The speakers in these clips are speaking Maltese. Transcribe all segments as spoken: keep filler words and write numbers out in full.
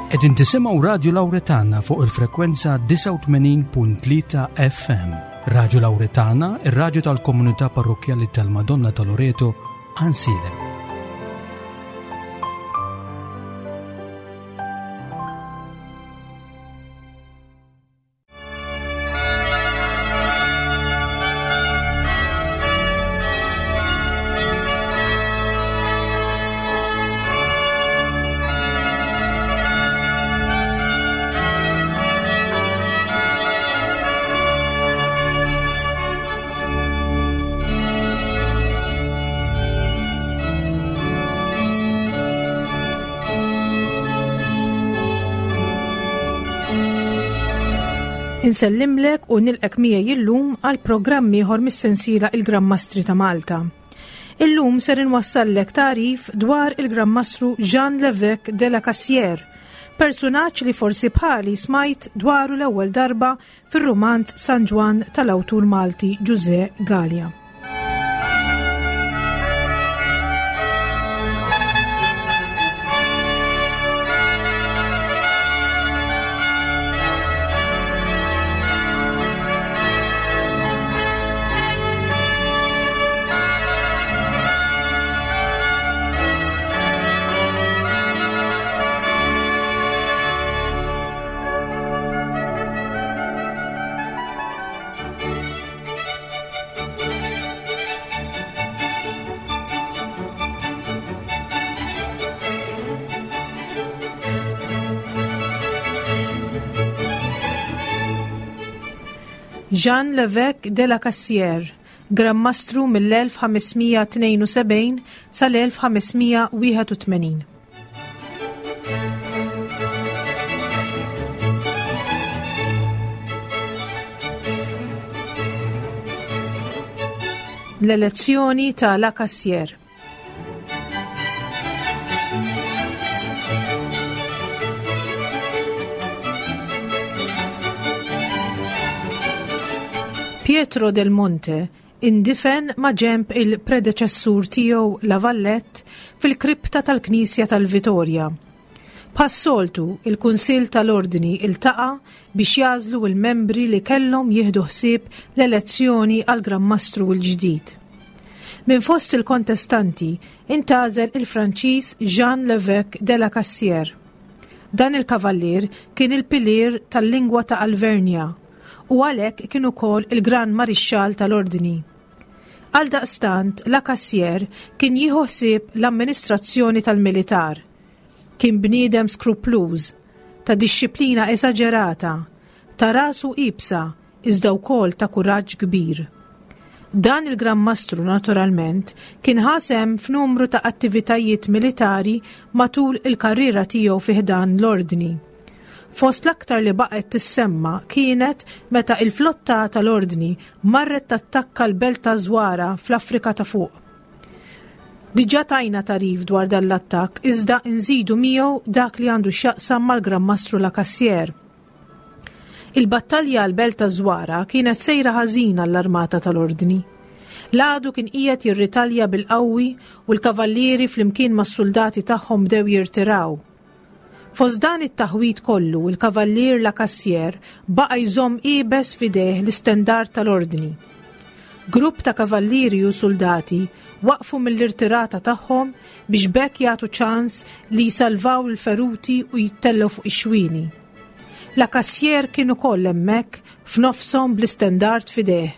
Qegħdin tisimgħu Radio Lauretana fuq il-frekwenza disgħa u tmenin punt tlieta F M. Radio Lauretana, ir-radju tal-Komunità Parrokkjali tal-Madonna ta' Loreto, Għajnsielem. Insellimlek u nilqgħek miegħi illum għal programm ieħor mis-sensiela Il-Gran Mastri ta' Malta. Illum ser inwassallek tagħrif dwar il-Gran Mastru Jean Lévesque de la Cassière, personaġġ li forsi bħali smajt dwaru l-ewwel darba fir-romanz San Ġwann tal-awtur Malti Ġużè Galea. Jean Lévesque de la Cassière, Gran Mastru mill-elf ħames mija tnejn u sebgħin sal-elf ħames mija wieħed u tmenin. L-elezzjoni ta' La Cassière. Pietro del Monte indifen ma' ġemb il-predeċessur tiegħu La Vallette fil-kripta tal-Knisja tal-Vitorja. Bħas-soltu, il-Kunsill tal-Ordni iltaqa' biex jagħżlu il-membri li kellhom jieħdu ħsieb l-elezzjoni għal Gran Mastru l-ġdid. Minn fost il-kontestanti intgħażel il-Franċiż Jean Lévesque de la Cassière. Dan il-kavallier kien il-pilier tal-lingwa ta' Alvernja u għalhekk kien ukoll il-Gran Marixxal tal-Ordni. Għaldaqstant, La Cassière kien jieħu ħsieb l-amministrazzjoni tal-militar. Kien bniedem skrupluż, ta' disċiplina eżaġerata, ta' rasu iebsa, iżda wkoll ta' kuraġġ kbir. Dan il-Gran Mastru naturalment kien ħa sehem f'numru ta' attivitajiet militari matul il-karriera tiegħu fi ħdan l-ordni. Fost l-aktar li baqgħet tissemma kienet meta il-flotta tal-ordni marret tattakka l-belt ta' Zwara fl-Afrika ta' fuq. Diġà tajna tagħrif dwar dan l-attakk, iżda nżidu miegħu dak li għandu x'jaqsam mal-Gran Mastru La Cassière. Il-battalja għal-belt ta' Zwara kienet sejra ħażina l-armata tal-ordni. L-għadu kien qiegħed jirritalja bil-qawwi u l-kavallieri flimkien mas-soldati tagħhom bdew jirtiraw. Fost dan it-taħwit kollu, il-kavallier La Cassière baqa' jżomm iebes f'idejh l-istendard tal-ordni. Grupp ta' kavallieri u soldati waqfu mill-irtirata tagħhom biex b'hekk jagħtu ċans li jsalvaw il-feruti u jittellgħu fuq ix-xwieni. La Cassière kien ukoll hemmhekk f'nofshom bl-istendard f'idejh.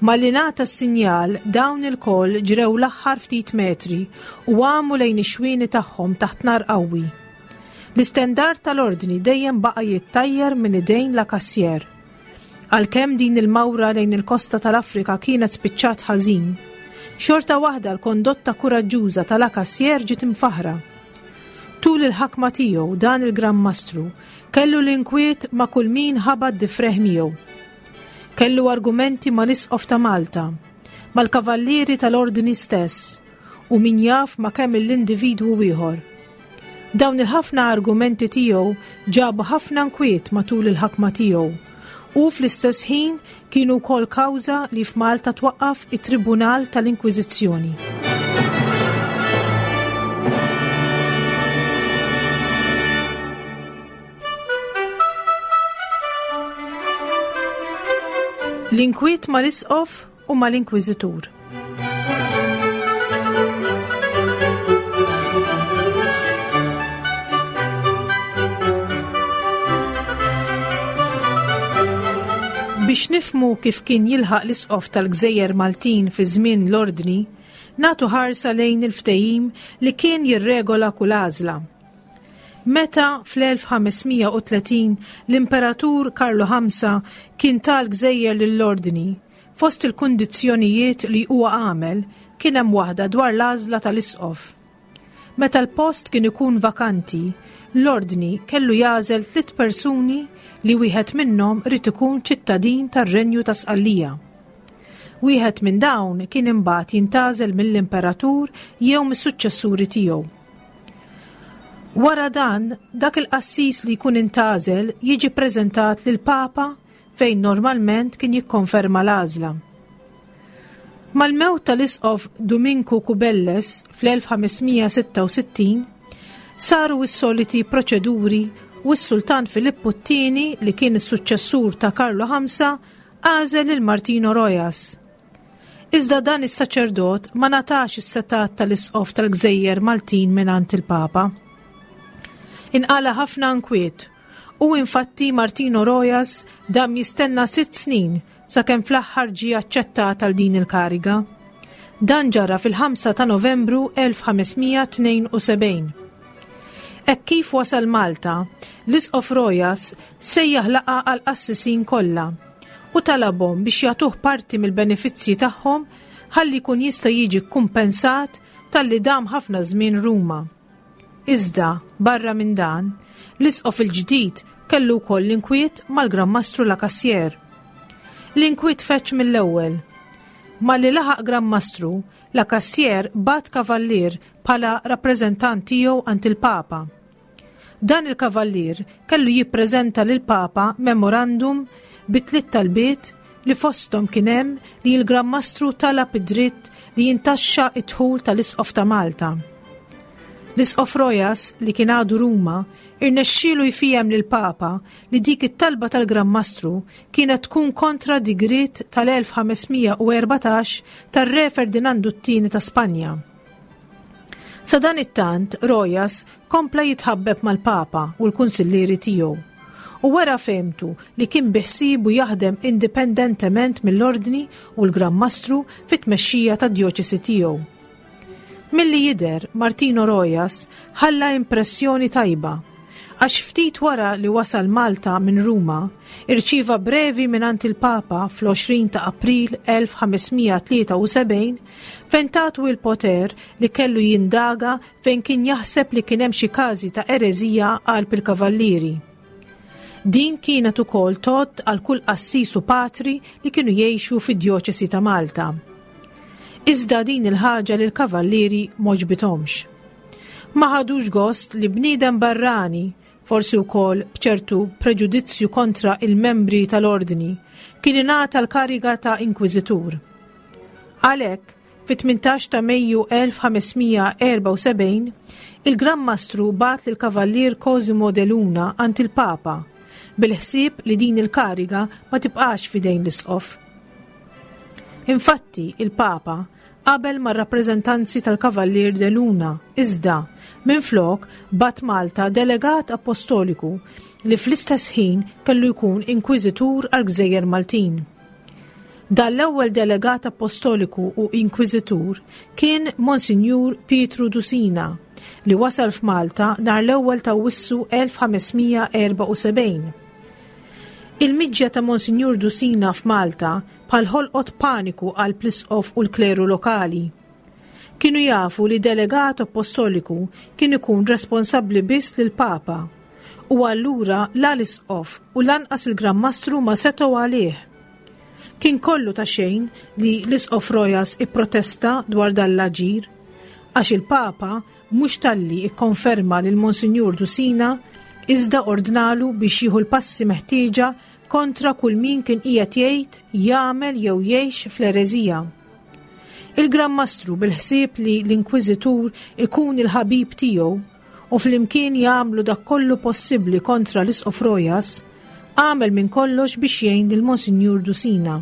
Malli ngħata s-sinjal, dawn il-koll ġrew l-aħħar ftit metri u għamu lejn ix-xwieni tagħhom taħt nar qawwi. L-istendard tal-ordni dejjem baqa' jittajjer minn idejn La Cassière. Għalkemm din il-mawra lejn il-kosta tal-Afrika kienet spiċċat ħażin, xorta waħda l-kondotta kuraġġuża ta' La Cassière ġiet imfaħra. Tul il-ħakma tiegħu, dan il-Gran Mastru kellu l-inkwiet ma' kull min ħabat difrejh miegħu. Kellu argumenti mal-Isqof ta' Malta, mal-kavallieri tal-ordni stess u min jaf ma' kemm l-individwu ieħor. Dawn il-ħafna argumenti tiegħu ġabu ħafna nkwiet matul il-ħakma tiegħu u fl-istess ħin kienu wkoll kawża li f'Malta twaqqaf it-Tribunal tal-Inkwiżizzjoni. L-inkwiet mal-isqof u mal-inkwiżitur. Biex nifhmu kif kien jilħaq l-isqof tal-Gżejjer Maltin fi żmien l-Ordni, nagħtu ħarsa lejn il-ftehim li kien jirregola kull għażla. Meta fl-elf ħames mija u tletin l-Imperatur Karlu ħamsa kien tal-Gżejjer lill-Ordni, fost il-kundizzjonijiet li huwa għamel kien hemm waħda dwar l-għażla tal-isqof. Meta l-post kien ikun vakanti, l-Ordni kellu jagħżel tliet persuni li wieħed minnhom ried ikun ċittadin tar-Renju ta' Sqallija. Wieħed minn dawn kien imbagħad jintgħażel mill-Imperatur jew mis-suċċessuri tiegħu. Wara dan, dak il-qassis li jkun intgħażel jiġi ppreżentat lill-Papa fejn normalment kien jikkonferma l-għażla. Mal-mewt tal-isqof Duminku Cubelles fl-elf ħames mija sitta u sittin, saru s-soliti proċeduri u s-Sultan Filippu t-tieni, li kien is-suċċessur ta' Karlu ħamsa, għażel lil Martino Rojas. Iżda dan is-saċerdot ma ngħatax is-setat tal-isqof tal-Gżejjer Maltin mingħand il-Papa. Inqala ħafna nkwiet u infatti Martino Rojas dam jistenna sitt snin sakemm fl-aħħar ġie aċċettat għal din il-kariga. Dan ġara fil-ħamsa ta' Novembru elf ħames mija tnejn u sebgħin. Hekk kif wasal Malta, l-Isqof Rojas sejjaħ laqgħa għall-qassisin kollha u talabhom biex jagħtuh parti mill-benefizzji tagħhom ħalli jkun jista' jiġi kkumpensat talli dam ħafna żmien Ruma. Iżda, barra minn dan, l-Isqof il-ġdid kellu wkoll l-inkwiet mal-Gran Mastru La Cassière. L-inkwiet feċ mill-ewwel. Malli laħaq Gran Mastru, La Cassière bat kavallier bħala rappreżentant tiegħu għand il-Papa. Dan il-kavallier kellu jippreżenta lill-Papa memorandum bi tliet talbiet li fosthom kien hemm li l-Gran Mastru talab id-dritt li jintaxxa d-dħul tal-Isqof ta' Malta. L-Isqof Rojas, li kien għadu Ruma, irnexxielu jfiehem lill-Papa li dik it-talba tal-Gran Mastru kienet tkun kontra digriet tal-elf ħames mija u erbatax tar-Re Ferdinandu t-tieni ta' Spanja. Sa dan it-tant, Rojas kompla jitħabbeb mal-Papa u l-kunsillieri tiegħu u wara fehmtu li kien biħsibu jaħdem indipendentement mill-Ordni u l-Gran Mastru fit-tmexxija tad-djoċesi tiegħu. Milli jidher, Martino Rojas ħalla impressjoni tajba, għax ftit wara li wasal Malta minn Ruma, irċieva brevi mingħand il-Papa fl-għoxrin ta' April elf ħames mija tlieta u sebgħin fejn tatu il-poter li kellu jindaga fejn kien jaħseb li kien hemm xi każi ta' ereżija qalb il-kavallieri. Din kienet ukoll tgħodd għal kull qassis u patri li kienu jgħixu fid-djoċesi ta' Malta. Iżda din il-ħaġa lil kavallieri m'għoġbithomx. Ma ħadux gost li bniedem barrani, forsi wkoll b'ċertu preġudizzju kontra il-membri tal-ordni, kien ingħata l-kariga ta' inkwiżitur. Għalhekk, fit-tmintax ta' Mejju elf ħames mija erba' u sebgħin, il-Gran Mastru bagħat lill-Kavallier Cosimo de Luna għand il-Papa, bil-ħsieb li din il-kariga ma tibqax fidejn l-isqof. Infatti, il-Papa qabel mar-rappreżentanzi tal-Kavallier de Luna, iżda minflok bat Malta delegat apostoliku li fl-istess ħin kellu jkun inkwiżitur għal-Gżejjer Maltin. Dan l-ewwel delegat apostoliku u inkwiżitur kien Monsinjur Pietru Dusina li wasal f'Malta nhar l-ewwel ta' Awwissu elf ħames mija erba' u sebgħin. Il-miġja ta' Monsinjur Dusina f'Malta bħal ħolqot paniku għal l-isqof u l-kleru lokali. Kienu jafu li delegat apostoliku kien ikun responsabbli biss lill-Papa u allura la l-isqof u lanqas il-Gran Mastru ma setgħu għalih. Kien kollu ta' xejn li l-isqof Rojas ipprotesta dwar dan l-aġir, għax il-Papa mhux talli ikkonferma lil Monsinjur Dusina iżda ordnalu biex jieħu l-passi meħtieġa kontra kull min kien qiegħed jgħid, jagħmel jew jgħix fl-ereżija. Il-Gran Mastru bil-ħsieb li l-Inkwiżitur ikun il-ħabib tiegħu u flimkien jagħmlu dak kollu possibbli kontra l-Isqof Rojas, għamel minn kollox biex jgħin lil Monsinjur Dusina.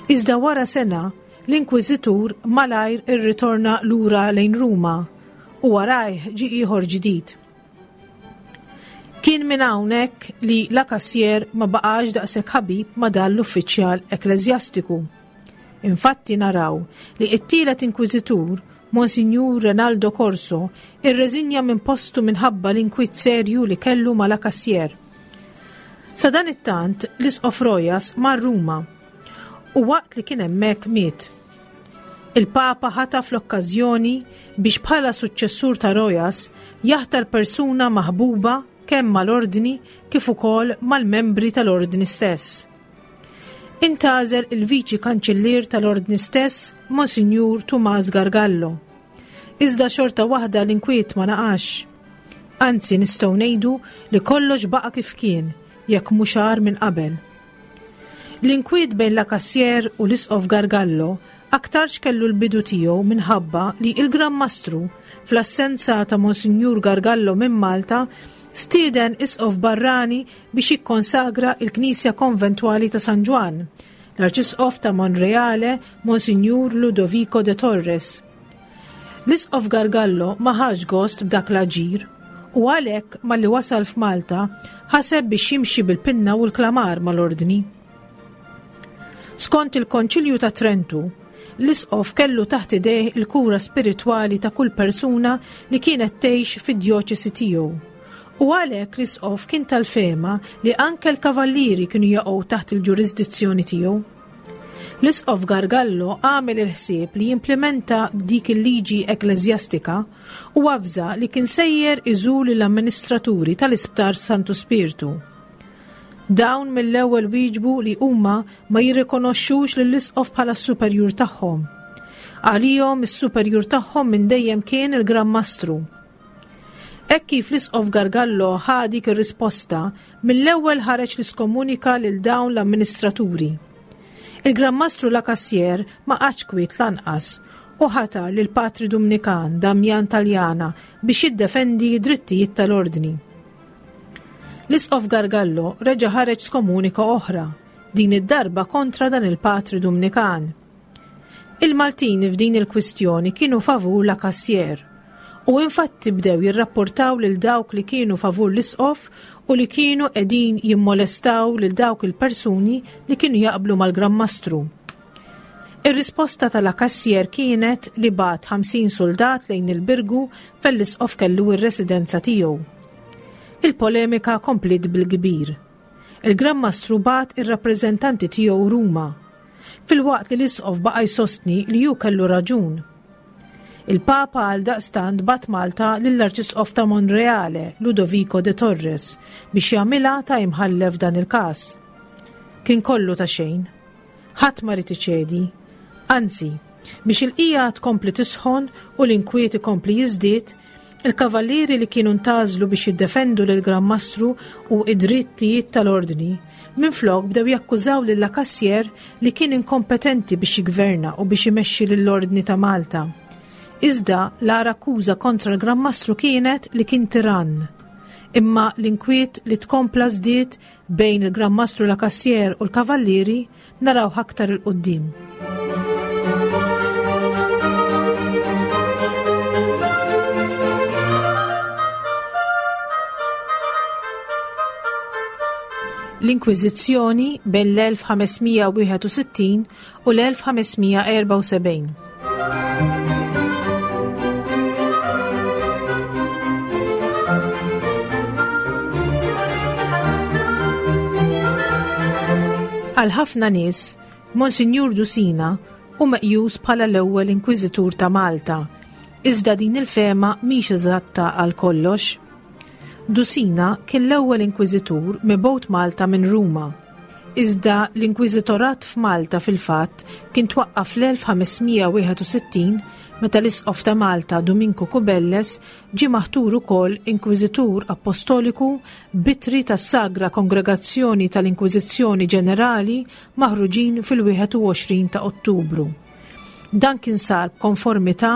Iżda wara sena, l-Inkwiżitur malajr irritorna lura lejn Ruma u warajh ġie ieħor ġdid. Kien minn hawnhekk li La Cassier ma baqax daqshekk ħabib ma' dan l-uffiċjal ekkleżjastiku. Infatti naraw li t-tielet inkwiżitur, Monsinjur Renaldo Corso, irreżinja minn postu minħabba l-inkwiet serju li kellu ma' La Cassier. Sadanittant l-Isqof Rojas mar Ruma u waqt li kien hemmhekk miet. Il-Papa ħataf l-okkażjoni biex bħala suċċessur ta' Rojas jaħtar persuna maħbuba kemm mal-ordni kif ukoll mal-membri tal-ordni stess. Intgħażel il-viċi kanċillier tal-ordni stess, Monsinjur Tumas Gargallo. Iżda xorta waħda l-inkwiet ma naqax. Anzi nistgħu ngħidu li kollox baqa' kif kien, jekk mhux agħar minn qabel. L-inkwiet bejn La Cassier u l-Isqof Gargallo aktarx kellu l-bidu tiegħu minħabba li il-Gran Mastru, fl-assenza ta' Monsinjur Gargallo minn Malta, stieden isqof barrani biex jikkonsagra il-Knisja Konventwali ta' San Ġwann, l-Arċisqof ta' Monreale, Monsinjur Ludovico de Torres. L-Isqof Gargallo ma ħax gost b'dak l-aġir u għalhekk malli wasal f'Malta ħaseb biex jimxi bil-pinna u l-klamar mal-ordni. Skont il-Konċilju ta' Trentu, l-Isqof kellu taħt idejh il-kura spiritwali ta' kull persuna li kienet tgħix fid-djoċesi tiegħu. U għalhekk l-Isqof kien tal-fehma li anke l-kavallieri kienu jaqgħu taħt il-ġurisdizzjoni tiegħu. L-Isqof Gargallo għamel il-ħsieb li jimplementa dik il-liġi ekkleżjastika u avża li kien sejjer iżur l-amministraturi tal-Isptar Santu Spirtu. Dawn mill-ewwel wieġbu li huma ma jirrikonoxxux lill-Isqof bħala s-superjur tagħhom. Għalihom is-superjur tagħhom minn dejjem kien il-Gran Mastru. Hekk kif l-Isqof Gargallo ħa dik ir-risposta, mill-ewwel ħareġ l-iskomunika lil dawn l-amministraturi. Il-Gran Mastru La Cassier ma qagħadx kwiet lanqas u ħatar lil Patri Dumnikan Damjan Taljana biex jiddefendi d-drittijiet tal-ordni. L-Isqof Gargallo reġa' ħareġ skomunika oħra, din id-darba kontra dan il-Patri Dumnikan. Il-Maltin f'din il-kwistjoni kienu favur La Cassier u infatti bdew jirrapportaw lil dawk li kienu favur l-Isqof u li kienu qegħdin jimmolestaw lil dawk il-persuni li kienu jaqblu mal-Gran Mastru. Ir-risposta ta' La Cassier kienet li bagħat ħamsin soldat lejn il-Birgu fejn l-Isqof kellu r-residenza tiegħu. Il-polemika kompliet bil-kbir. Il-Gran Mastru bagħat ir-rappreżentanti tiegħu Ruma, filwaqt li l-Isqof baqa' jsostni li hu kellu raġun. Il-Papa għal daqstant bagħat Malta lill-Arċisqof ta' Monreale, Ludovico de Torres, biex jagħmilha ta' imħallef dan il-każ. Kien kollu ta' xejn. Ħadd ma rid iċedi. Anzi, biex il-qija tkompli tisħon u l-inkwiet ikompli jiżdied, il-kavallieri li kienu ntgħażlu biex jiddefendu lil Gran Mastru u id-drittijiet tal-ordni, minflok bdew jakkużaw lil La Cassier li kien inkompetenti biex jigverna u biex imexxi lill-ordni ta' Malta. Iżda l-agħar akkuża kontra l-Gran Mastru kienet li kien tirann. Imma l-inkwiet li tkompla żdied bejn il-Gran Mastru La Cassier u l-Kavallieri naraw aktar il-qoddim. L-Inkwiżizzjoni bejn l-elf ħamesmija wieħed u sittin u l-elf ħamesmija erba' u sebgħin. Għal ħafna nies, Monsinjur Dusina hu meqjus bħala l-ewwel inkwiżitur ta' Malta, iżda din il-fehma mhix eżatta għal kollox. Dusina kien l-ewwel inkwiżitur mibgħut Malta minn Ruma. Iżda l-inkwiżitorat f'Malta fil-fatt kien twaqqaf fl-elf ħamesmija wieħed u sittin meta l-Isqof ta' Malta Duminku Cubelles ġie maħtur ukoll inkwiżitur apostoliku bitri tas-Sagra Kongregazzjoni tal-Inkwiżizzjoni Ġenerali maħruġin fil-wieħed u għoxrin ta' Ottubru. Dan kien sar b'konformità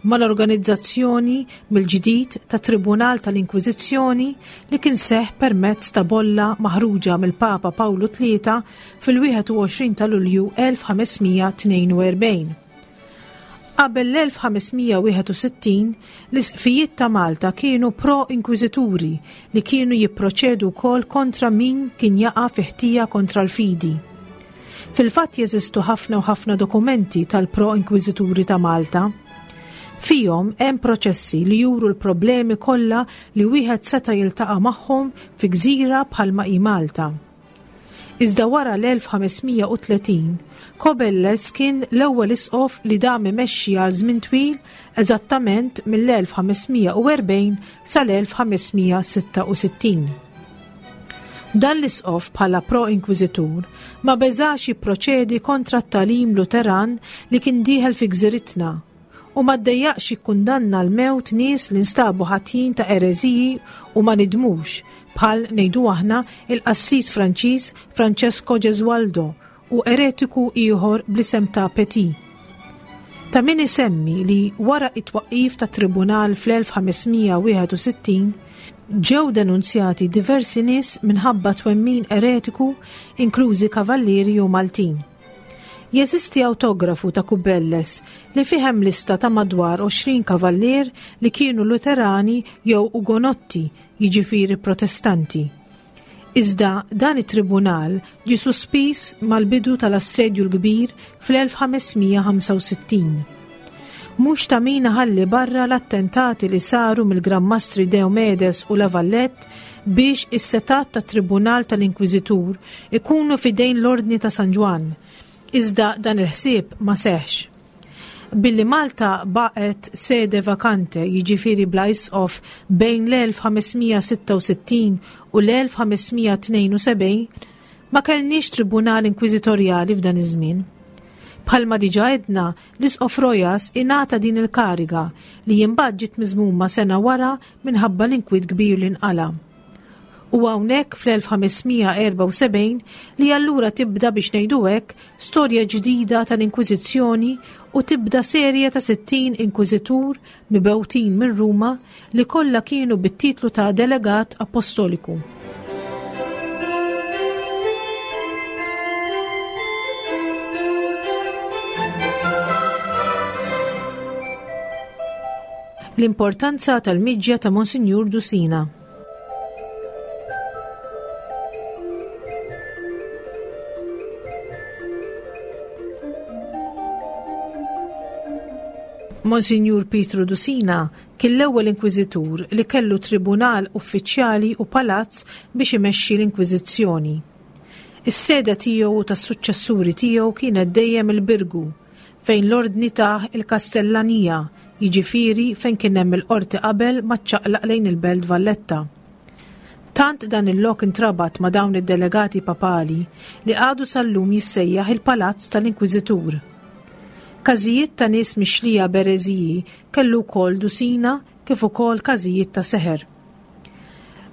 mal-organizzazzjoni mill-ġdid ta' Tribunal tal-Inkwiżizzjoni li kien seħ permezz ta' bolla maħruġa mill-Papa Pawlu tlieta fil-wieħed u għoxrin ta' Lulju elf ħames mija tnejn u erbgħin. Qabel l-elf ħames mija wieħed u sittin, l-isqfijiet ta' Malta kienu pro-inkwiżituri li kienu jipproċedu wkoll kontra min kien jaqa' fi ħtija kontra l-fidi. Fil-fatt jeżistu ħafna u ħafna dokumenti tal-pro-inkwiżituri ta' Malta. Fihom hemm proċessi li juru l-problemi kollha li wieħed seta' jiltaqa' magħhom fi gżira bħalma hi Malta. Iżda wara l-elf ħames mija u tletin, Cubelles kien l-ewwel isqof li dam imexxi għal żmien twil, eżattament mill-elf ħames mija u erbgħin sal-elf ħames mija sitta u sittin. Dan l-isqof bħala pro-inkwiżitur ma beżax jipproċedi kontra t-tagħlim Luteran li kien dieħel fi gżiritna u ma ddejjaqx jikkundanna l-mewt nies li nstabu ħatjin ta' ereżiji u ma nidmux, bħal ngħidu aħna il-qassis Franċiż Francesco Gesualdo u eretiku ieħor bl-isem ta' Petit. Ta' min isemmi li wara it-twaqqif ta' tribunal fl-elf ħames mija wieħed u sittin ġew denunzjati diversi nies minħabba twemmin eretiku, inklużi kavallieri u Maltin. Jeżisti autografu ta' Cubelles li fih hemm lista ta' madwar għoxrin kavallier li kienu Luterani jew Ugonotti, jiġifieri Protestanti. Iżda dan it-tribunal ġie sospiż mal-bidu tal-Assedju l-Kbir fl-elf ħames mija ħamsa u sittin. Mhux ta' min ħalli barra l-attentati li saru mill-Gran Mastri Diomedes u La Valette biex is-setat tat Tribunal tal-Inkwiżitur ikunu fidejn l-Ordni ta' San Ġwann. Iżda dan il-ħsieb ma seħx. Billi Malta baqgħet sede vakante, jiġifieri bla isqof, bejn l-elf ħames mija sitta u sittin u l-elf ħames mija tnejn u sebgħin, ma kellniex tribunal inkwiżitorjali f'dan iż-żmien. Bħalma diġà għedna, l-isqof Rojas ingħata din il-kariga li imbagħad ġiet miżmuma sena wara minħabba l-inkwiet kbir li nqala. U hawnhekk fl-elf ħames mija erba' u sebgħin li allura tibda, biex ngħidu hekk, storja ġdida tal-Inkwiżizzjoni u tibda serje ta' sittin inkwiżitur mibgħutin minn Ruma li kollha kienu bit-titlu ta' delegat apostoliku. L-importanza tal-miġja ta' Monsinjur Dusina. Monsinjur Pietru Dusina kien l-ewwel inkwiżitur li kellu tribunal uffiċjali u palazz biex imexxi l-inkwiżizzjoni. Is-sede tiegħu u tas-suċċessuri tiegħu kienet dejjem il-Birgu, fejn l-ordni tah il-Kastellanija, jiġifieri fejn kien hemm il-qorti qabel ma ċċaqlaq lejn il-Belt Valletta. Tant dan il-lok intrabat ma' dawn id-delegati papali li għadu sal-lum jissejjaħ il-Palazz tal-Inkwiżitur. Każijiet ta' nies mixlija b'ereżiji kellu wkoll Dusina kif ukoll każijiet ta' seħer.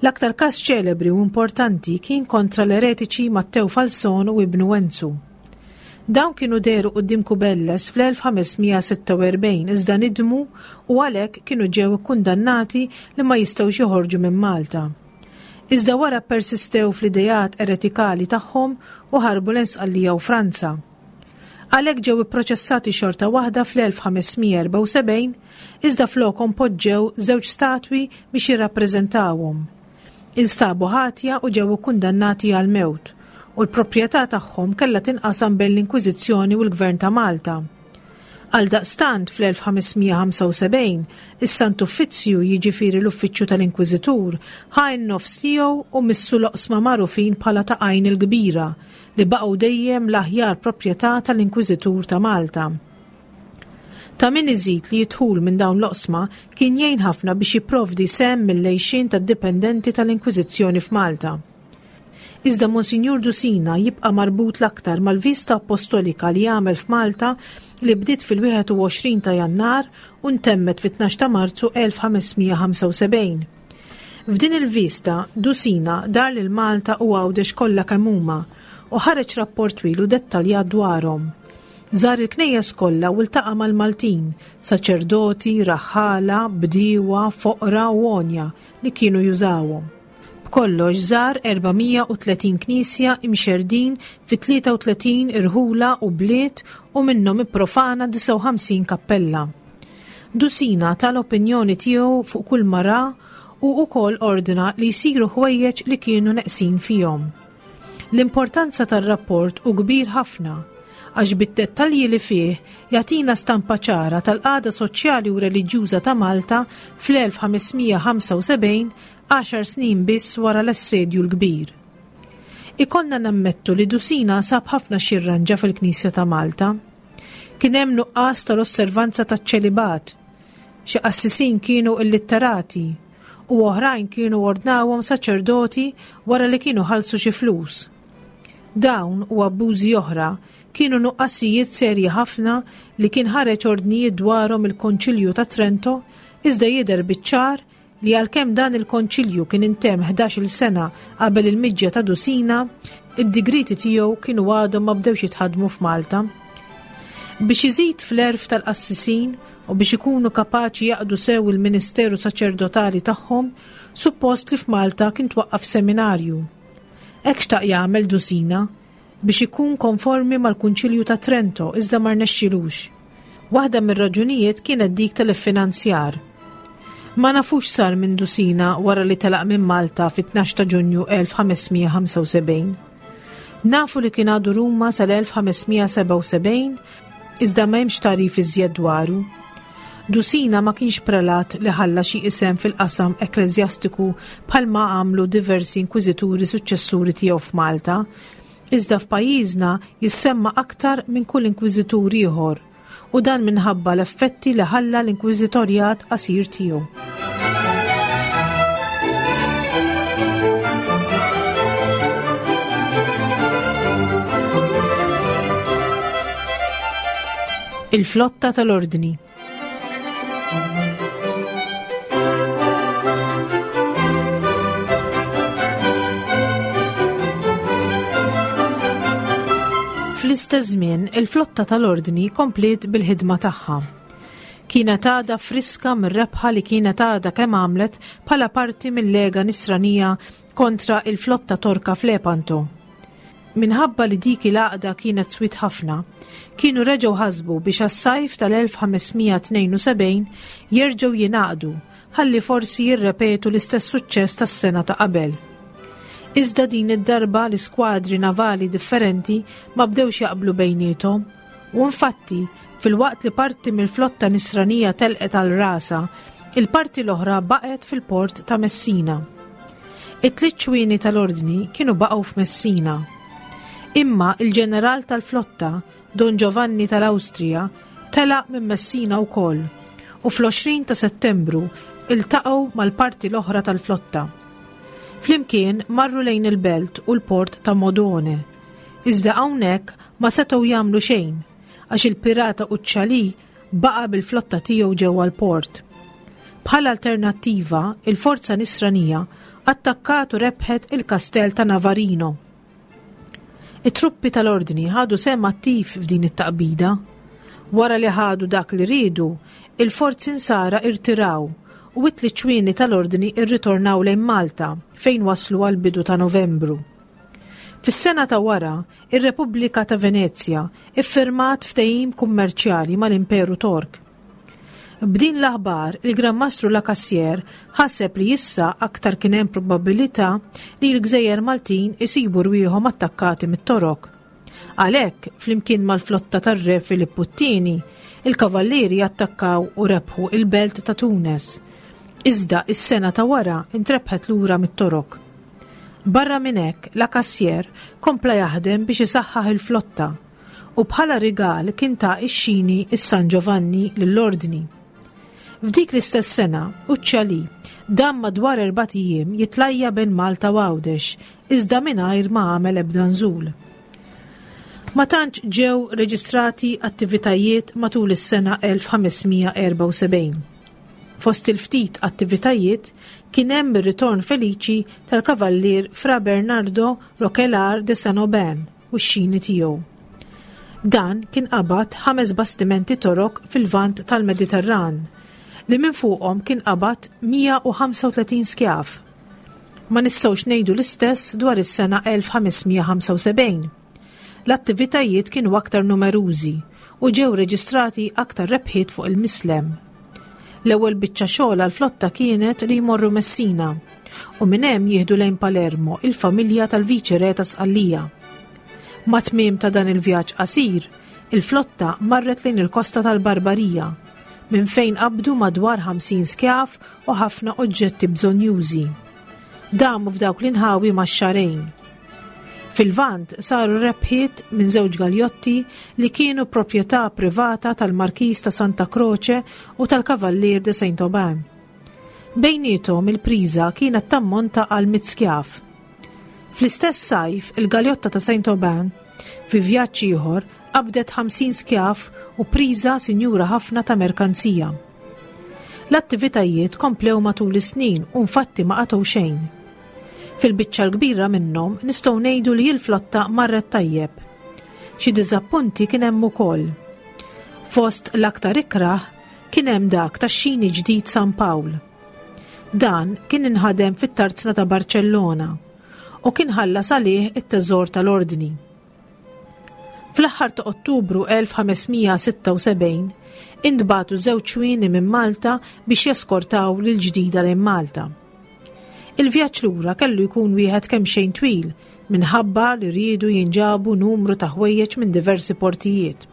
L-aktar każ ċelebri u importanti kien kontra l-eretiċi Matteo Falson u ibnu Enzu. Dawn kienu dehru quddiem Cubelles fl-elf ħames mija sitta u erbgħin iżda nidmu u għalhekk kienu ġew ikkundannati li ma jistgħux joħorġu minn Malta. Iżda wara persistew fl-idejat eretikali tagħhom u ħarbu l-Sqallija u Franza. Għalhekk ġew ipproċessati xorta waħda fl-elf ħames mija erba' u sebgħin, iżda flokhom poġġew żewġ statwi biex jirrappreżentawhom. Instabu ħatja u ġew ikkundannati għal-mewt, u l-proprjetà tagħhom kellha tinqasam bejn l-Inkwiżizzjoni u l-Gvern ta' Malta. Għaldaqstant fl-elf ħames mija ħamsa u sebgħin, is-Sant Uffizzju, jiġifieri l-Uffiċċju tal-Inkwiżitur, ħa n-nofs tiegħu u missu l-oqsma magħrufin bħala ta' Għajn il-Kbira, li baqgħu dejjem l-aħjar proprjetà tal-Inkwiżitur ta' Malta. Ta' min iżid li jidħul minn dawn l-oqsma kien jgħin ħafna biex jipprovdi sehem mill-għejxien tad-dipendenti tal-Inkwiżizzjoni f'Malta. Iżda Monsinjur Dusina jibqa' marbut l-aktar mal-vista apostolika li għamel f'Malta li bdiet fil-wieħed u għoxrin ta' Jannar u ntemmet fit-tnax ta' Marzu elf ħames mija ħamsa u sebgħin. F'din il-vista, Dusina dar lil Malta u Għawdex kollha kemm huma u ħareġ rapport twil u dettaljat dwarhom. Żar il-knejjes kollha u ltaqa' mal-Maltin, saċerdoti, raħħala, bdiewa, foqra u għonja li kienu jużawhom. B'kollox żar erba' mija u tletin knisja imxerdin fi tlieta u tletin irħula u bliet u minnhom ipprofana disgħa u ħamsin kappella. Dusina tal-opinjoni tiegħu fuq kull mara u wkoll ordna li jsiru ħwejjeġ li kienu neqsin fihom. L-importanza tar-rapport hu kbir ħafna għax bid-dettalji li fih jagħtina stampa ċara tal-qagħda soċjali u reliġjuża ta' Malta fl-elf ħamesmija ħamsa u sebgħin, għaxar snin biss wara l-assedju l-kbir. Ikollna nammettu li Dusina sab ħafna xirranġa fil-Knisja ta' Malta. Kien hemm nuqqas tal-osservanza taċ-ċelibat. Xi qassisin kienu illitterati u oħrajn kienu ordnawhom saċerdoti wara li kienu ħallsu xi flus. Dawn u abbużi oħra kienu nuqqasijiet serji ħafna li kien ħareġ ordnijiet dwarhom il-Konċilju ta' Trento, iżda jidher biċ-ċar li għalkemm dan il-konċilju kien intemm ħdax-il sena qabel il-miġja ta' Dusina, id-digriti tiegħu kienu għadhom ma bdewx jitħaddmu f'Malta. Biex iżid fl-għerf tal-qassisin u biex ikunu kapaċi jaqdu sew il-ministeru saċerdotali tagħhom, suppost li f'Malta kien twaqqaf seminarju. Hekk xtaq jagħmel Dusina biex ikun konformi mal-Kunċilju ta' Trento, iżda ma rnexxilux. Waħda mir-raġunijiet kienet dik tal-iffinanzjar. Ma nafux sar minn Dusina wara li telaq minn Malta fit-tnax ta' Ġunju elf ħamesmija ħamsa u sebgħin. Nafu li kien għadu Ruma sal-elf ħamesmija sebgħa u sebgħin, iżda ma hemmx tagħrif iżjed dwaru. Dusina ma kienx prelat li ħalla xi isem fil-qasam ekkleżjastiku bħalma għamlu diversi inkwiżituri suċċessuri tiegħu f'Malta, iżda f'pajjiżna jissemma aktar minn kull inkwiżitur ieħor, u dan minħabba l-effetti li ħalla l-inkwiżitorjat qasir tiegħu. Il-flotta tal-Ordni. Fl-istess żmien, il-flotta tal-Ordni kompliet bil-ħidma tagħha. Kienet għadha friska mir-rebħa li kienet għadha kemm għamlet bħala parti mill-Lega Nisranija kontra il-flotta Torka f'Lepanto. Minħabba li dik il-għaqda kienet swit ħafna, kienu reġgħu ħasbu biex għas-sajf tal-elf ħamesmija tnejn u sebgħin jerġgħu jingħaqdu ħalli forsi jirrepetu l-istess suċċess tas-sena ta' qabel. Iżda din id-darba l-iskwadri navali differenti ma bdewx jaqblu bejniethom u infatti filwaqt li parti mill-flotta nisranija telqet għal rasa, il-parti l-oħra baqgħet fil-port ta' Messina. It-tliet ċwieni tal-Ordni kienu baqgħu f'Messina. Imma il-ġeneral tal-flotta, Don Giovanni tal-Awstrija, telaq minn Messina wkoll u fl-għoxrin ta' Settembru iltaqgħu mal-parti l-oħra tal-flotta. Flimkien marru lejn il-belt u l-port ta' Modone. Iżda hawnhekk ma setgħu jagħmlu xejn għax il-pirata Uccialì baqa' bil-flotta tiegħu ġewwa l-port. Bħala alternattiva, il-forza nisranija attakkat u rebħet il-kastell ta' Navarino. It-truppi tal-Ordni ħadu sehem attiv f'din it-taqbida. Wara li ħadu dak li riedu, il-forzi nsara irtiraw u it-tliet ċwieni tal-Ordni irritornaw lejn Malta fejn waslu għal bidu ta' Novembru. Fis-sena ta' wara, ir-Repubblika ta' Venezja iffirmat ftehim kummerċjali mal-Imperu Tork. B'din l-aħbar, il-Gran Mastru La Cassière ħaseb li issa aktar kien hemm probabilità li l-Gżejjer Maltin isibu rwieħhom attakkati mit-Torok. Għalhekk, flimkien mal-flotta tar-Re Filippu t-tieni, il-Kavallieri attakkaw u rebħu il-belt ta' Tunes. Iżda is-sena ta' wara intrebħet lura mit-Torok. Barra minn hekk, La Cassière kompla jaħdem biex isaħħaħ il-flotta u bħala rigal kien ta' ix-xini is-San Giovanni lill-Ordni. F'dik l-istess sena, Uccialì dam madwar erbat ijiem jitlajja bejn Malta u Għawdex, iżda mingħajr ma għamel ebda nżul. Ma tantx ġew reġistrati attivitajiet matul is-sena elf ħamesmija erba' u sebgħin. Fost il-ftit attivitajiet kien hemm ir-ritorn feliċi tal-kavallier Fra Bernardo Roquelaure de Saint-Aubin u x-xini tiegħu. Dan kien qabad ħames bastimenti Torok fil-Lvant tal-Mediterran li minn fuqhom kien qabad mija u ħamsa u tletin skjav. Ma nistgħux ngħidu l-istess dwar is-sena elf ħames mija ħamsa u sebgħin. L-attivitajiet kienu aktar numerużi u ġew reġistrati aktar rebħiet fuq il-Mislem. L-ewwel biċċa xogħol għall-flotta kienet li jmorru Messina u minn hemm jieħdu lejn Palermo il-familja tal-Viċi Re ta' Sqallija. Mat-tmiem ta' dan il-vjaġġ qasir, il-flotta marret lejn il-kosta tal-Barbarija, minn fejn qabdu madwar ħamsin skjav u ħafna oġġetti bżonjużi. Damu f'dawk l-inħawi ma' xahrejn. Fil-Lvant saru rebħiet minn żewġ galjotti li kienu proprjetà privata tal-Markis ta' Santa Croce u tal-Kavallier de Saint Aubin. Bejnietom il-priża kienet tammonta għal mitt skjav. Fl-istess sajf, il-galjotta ta' Saint Aubin, fi vjaġġ ieħor, qabdet ħamsin skjav u priża sinjura ħafna ta' merkanzija. L-attivitajiet komplew matul is-snin u infatti ma qatgħu xejn. Fil-biċċa l-kbira minnhom nistgħu ngħidu li l-flotta marret tajjeb. Xi diżappunti kien hemm ukoll. Fost l-aktar ikrah kien hemm dak tax-xini ġdid San Pawl. Dan kien inħadem fit-tarzna ta' Barcellona u kien ħallas għalih it-teżor tal-ordni. Fl-aħħar ta' Ottubru elf ħames mija sitta u sebgħin intbagħtu żewġ xwieni minn Malta biex jeskortaw lil ġdida lejn Malta. Il-vjaġġ lura kellu jkun wieħed kemm xejn twil minħabba li riedu jinġabu numru ta' ħwejjeġ minn diversi portijiet.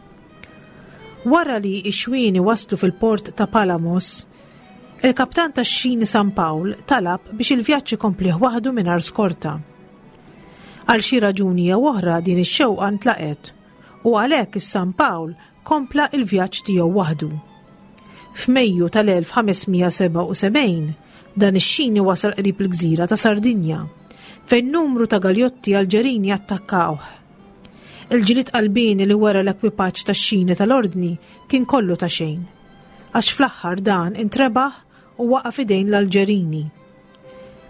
Wara li x-xwieni waslu fil-port ta' Palamos, il-kaptan tax-xini San Pawl talab biex il-vjaġġ ikompli waħdu mingħajr skorta. Għal xi raġuni jew oħra din ix-xewqa ntlaqet u għalhekk is-San Pawl kompla il-vjaġġ tiegħu waħdu. F'Mejju tal-elf ħames mija sebgħa u sebgħin dan ix-xini wasal qrib il-gżira ta' Sardinja, fejn numru ta' galjotti Alġerini attakkawh. Il-ġlied qalbini li wera l-ekwipaġġ tax-xini tal-ordni kien kollu ta' xejn, għax fl-aħħar dan intrebaħ u waqa' f'idejn l-Alġerini.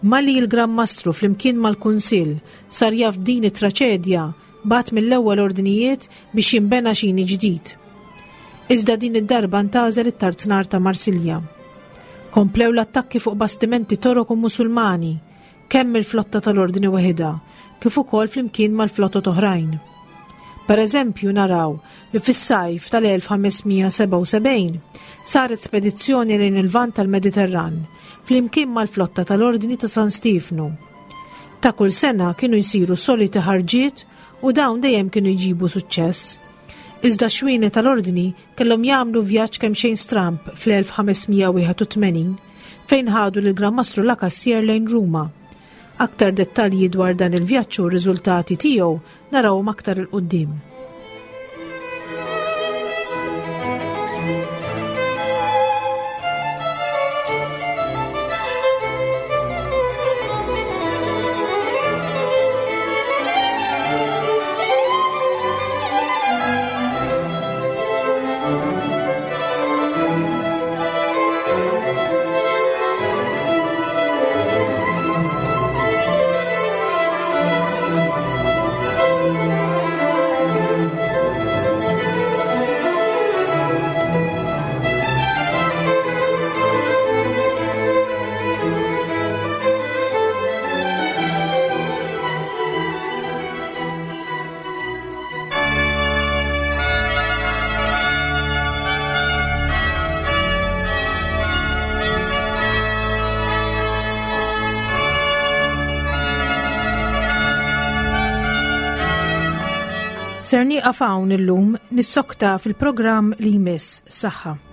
Malli il-Gran Mastru flimkien mal-Kunsill sar jaf din it-traċedja, bagħat mill-ewwel ordnijiet biex jinbena xini ġdid. Iżda din id-darba ntgħażel it-tarznar ta' Marsilja. Komplew l-attakki fuq bastimenti Torok u Musulmani, kemm il-flotta tal-ordni waħida, kif ukoll flimkien mal-flottot oħrajn. Per eżempju, naraw li fis-sajf tal-elf ħames mija sebgħa u sebgħin saret spedizzjoni lejn il-Lvant tal-Mediterran flimkien mal-flotta tal-Ordni ta' San Stefnu. Ta' kull sena kienu jsiru soliti ħarġiet u dawn dejjem kienu jġibu suċċess. Iżda xwieni tal-ordni kellhom jagħmlu vjaġġ kemm xejn stramp fl-elf ħames mija wieħed u tmenin fejn ħadu lil Gran Mastru La Cassier lejn Ruma. Aktar dettalji dwar dan il-vjaġġ u r-riżultati tiegħu narawhom aktar 'il quddiem. Ser nieqaf hawn illum, nissokta fil-programm li jmiss. Saħħa.